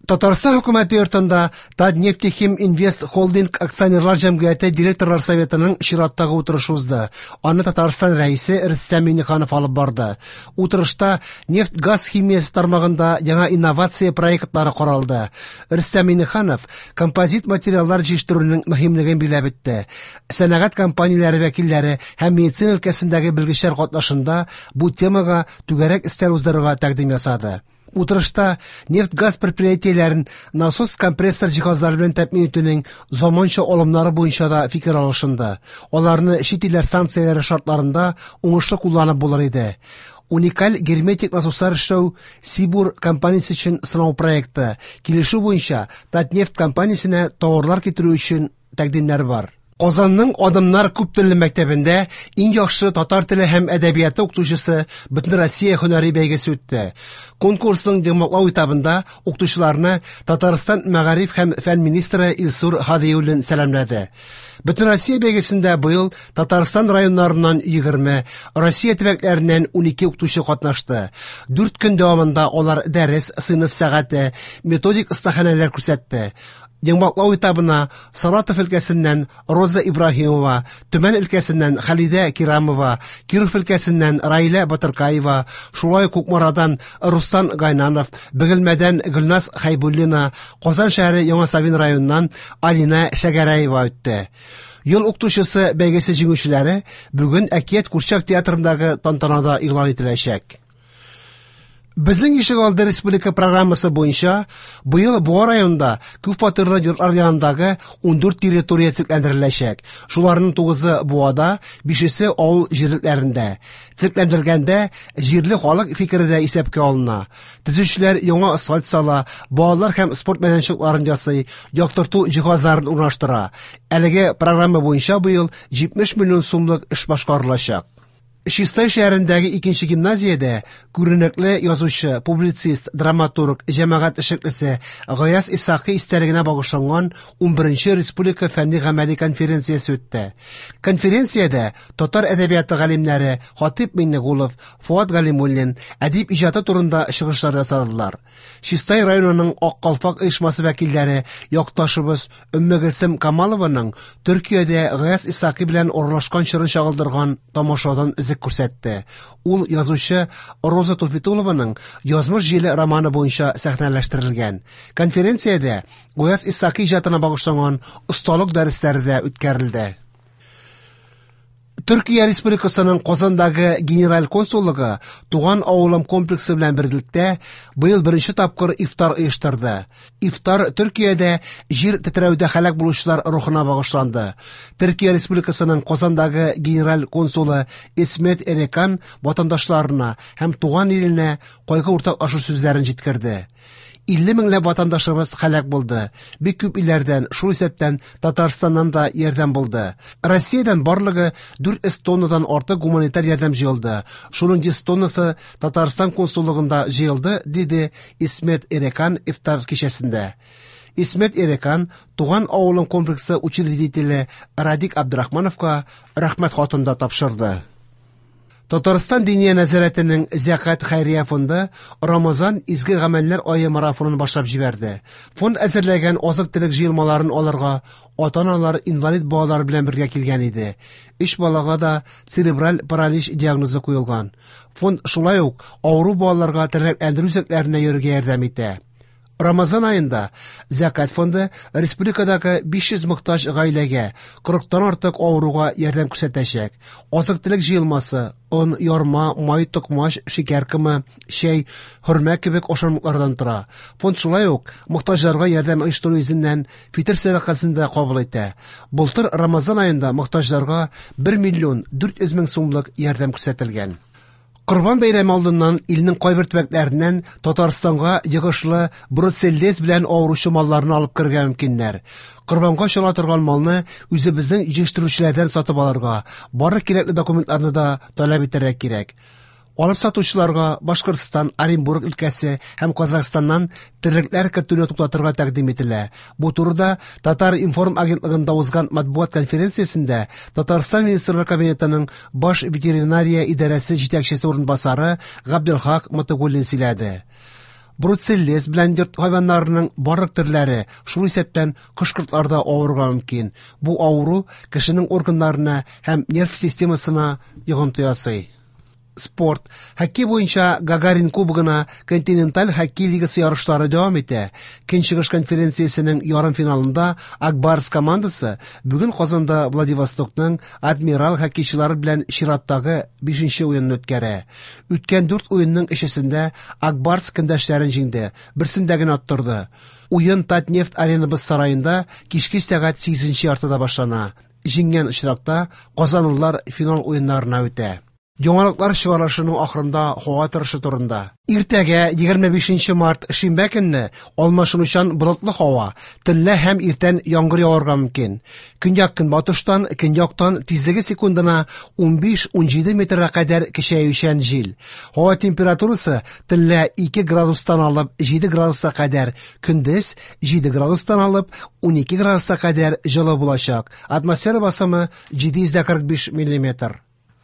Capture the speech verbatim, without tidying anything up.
Татарстан хөкүмәте йортында Татнефтехим Инвест Холдинг акционерлар җәмгыяте директорлар советының чираттагы утырышы узды. Аны Татарстан Рәисе Рөстәм Миңнеханов алып барды. Утырышта нефть-газ химиясе тармагында яңа инновация проектлары каралды. Рөстәм Миңнеханов композит материаллар җитештерүнең мөһимлеген билгеләп үтте. Сәнәгать компанияләре вәкилләре һәм медицина өлкәсендәге белгечләр катнашында бу темага түгәрәк өстәл уздырырга тәкъдим ясады. Утырышта нефть-газ предприятиеләрен насос-компрессор җиһазлары белән тәэмин итүнең заманча алымнары буенча да фикер алышынды. Аларны чит илләр санкцияләре шартларында уңышлы кулланып булыр иде. Уникаль герметик насослар эшләү Сибур компаниясе өчен сынау проекты. Килешү буенча Татнефть компаниясенә товарлар китерү өчен тәкъдимнәр бар. Казанның Адымнар күптелле мәктәбендә иң яхшы татар теле һәм әдәбияты укытучысы Бөтенроссия һөнәри бәйгесе үтте. Конкурсның йомгаклау этабында укытучыларны Татарстан мәгариф һәм фән министры Илсур Һадиуллин сәламләде. Бөтенроссия бәйгесендә быел Татарстан районнарыннан егерме, Россия төбәкләреннән унике укытучы катнашты. Дүрт көн дәвамында алар дәрес, сыйныф сәгате, методик остаханәләр күрсәтте. Йомгаклау этабына Саратов өлкәсеннән Роза Ибраһимова, Төмән өлкәсеннән Халидә Кирамова, Киров өлкәсеннән Раилә Батыркаева, шулай ук Кукмарадан Руслан Гайнанов, Бөгелмәдән Гөлназ Хәйбуллина, Казан шәһәре Яңа Савин районыннан Алина Шәгәрәева үтте. Ел укытучысы бәйгесе җиңүчеләре бүген Әкият курчак театрындагы тантанада игълан ителәчәк. Безнең ишегалды республика программасы буенча быел Буа районында күп фатирлы йортлар янындагы ундүрт территория төзекләндереләчәк. Шуларның тугызы Буада, бишесе авыл җирлекләрендә. Төзекләндергәндә җирле халык фикере дә исәпкә алына. Төзүчеләр яңа асфальт сала, балалар һәм спорт мәйданчыкларын ясый, яктырту җиһазларын урнаштыра. Әлеге программа буенча быел җитмеш миллион сумлык эш башкарылачак. Чистай шәһәрендәге икенче гимназиядә күренекле язучы, публицист, драматург, җәмәгать эшлеклесе Гаяз Исхакый истәлегенә багышланган унберенче республика фәнни гамәли конференциясе үтте. Конференциядә татар әдәбияты галимнәре Хатип Миңнегулов, Фуат Галимуллин әдип иҗаты турында чыгышлар ясадылар. Чистай районының Ак калфак оешмасы вәкилләре якташыбыз Өммегөлсем Камалованың Төркиядә Гаяз Исхакый белән аралашкан чорын чагылдырган тамашадан өзек күрсәтте. Ул язучы Роза Туфитулованың Язмыш җиле романы буенча сәхнәләштерелгән. Конференциядә Гаяз Исхакый иҗатына багышланган осталык дәресләре дә үткәрелде. Төркия Республикасының Казандагы генераль консуллыгы Туган авылым комплексы белән берлектә быел беренче тапкыр ифтар оештырды. Ифтар Төркиядә җир тетрәүдә һәлак булучылар рухына багышланды. Төркия Республикасының Казандагы генераль консулы Исмет Эрекан ватандашларына һәм туган иленә кайгы уртаклашу сүзләрен җиткерде. Илле меңләп ватандашыбыз һәлак булды. Бик күп илләрдән, шул исәптән Татарстаннан да ярдәм булды. Россиядән барлыгы дүрт йөз тоннадан артык гуманитар ярдәм җыелды. Шуның йөз тоннасы Татарстан консуллыгында җыелды, диде Исмет Эрекан ифтар кичәсендә. Исмет Эрекан Туган авылым комплексы учредителе Радик Абдрахмановка рәхмәт хатын да тапшырды. Татарстан Диния нәзарәтенең Зәкат хәйрия фонды Рамазан изге гамәлләр ае марафонын башлап җибәрде. Фонд әзерләгән азык-төлек җыелмаларын алырга ата-аналар инвалид балалар белән бергә килгән иде. Өч балага да церебраль паралич диагнозы куелган. Фонд шулай ук авыру балаларга тернәкләндерү үзәкләренә йөрергә ярдәм итә. Рамазан айында Зәкат фонды республикадагы биш йөз мохтаҗ гаиләгә кырыктан артык авыруга ярдәм күрсәтәчәк. Азык-төлек җыелмасы, он, ярма, май, токмач, шикәр комы, чәй, хөрмә кебек ашамлыклардан тора. Фонд шулай ук мохтаҗларга ярдәм оештыру йөзеннән фитыр сәдакасын да кабул итә. Былтыр Рамазан айында мохтаҗларга бер миллион дүрт йөз мең сумлык ярдәм күрсәтелгән. Корбан бәйрәме алдыннан илнең кайбер төбәкләреннән Татарстанга йогышлы бруцеллез белән авыручы малларны алып керергә мөмкиннәр. Корбанга чала торган малны үзебезнең җитештерүчеләрдән сатып алырга, барлык кирәкле документларны да таләп итәргә кирәк. Алып сатучыларга Башкортстан, Оренбург өлкәсе һәм Казахстаннан терлекләр кертүне туктатырга тәкъдим ителә. Бу турыда Татар-информ агентлыгында узган матбугат конференциясендә Татарстан Министрлар Кабинетының баш ветеринария идарәсе җитәкчесе урынбасары Габделхак Мотыгуллин сөйләде. Бруцеллез белән йорт хайваннарының барлык төрләре, шул исәптән кош-кортлар да авырырга мөмкин. Бу авыру кешенең органнарына һәм нерв системасына йогынты ясый. Спорт. Хоккей буенча Гагарин кубогына Континенталь хоккей лигасы ярышлары дәвам итә. Көнчыгыш конференциясенең ярымфиналында Ак Барс командасы бүген Казанда Владивостокның Адмирал хоккейчылары белән чираттагы бишенче уенын үткәрә. Үткән дүрт уенның өчесендә Ак Барс көндәшләрен җиңде, берсендә генә оттырды. Уен Татнефть Арена боз сараенда кичке сәгать сигезенче яртыда башлана. Җиңгән очракта казанлылар финал уеннарына үтә. Яңалыклар чыгарылышының ахырында һава торышы турында. Иртәгә егерме бишенче март шимбә көнне алмашынучан болытлы һава, төнлә һәм иртән яңгыр яварга мөмкин. Көньяк-көнбатыштан, көньяктан тизлеге секундына унбиш-унҗиде метрга кадәр көчәючән җил. Һава температурасы төнлә ике градустан алып җиде градуска кадәр, көндез җиде градустан алып унике градуска кадәр җылы булачак. Атмосфера басымы җиде йөз дә кырык биш миллиметр.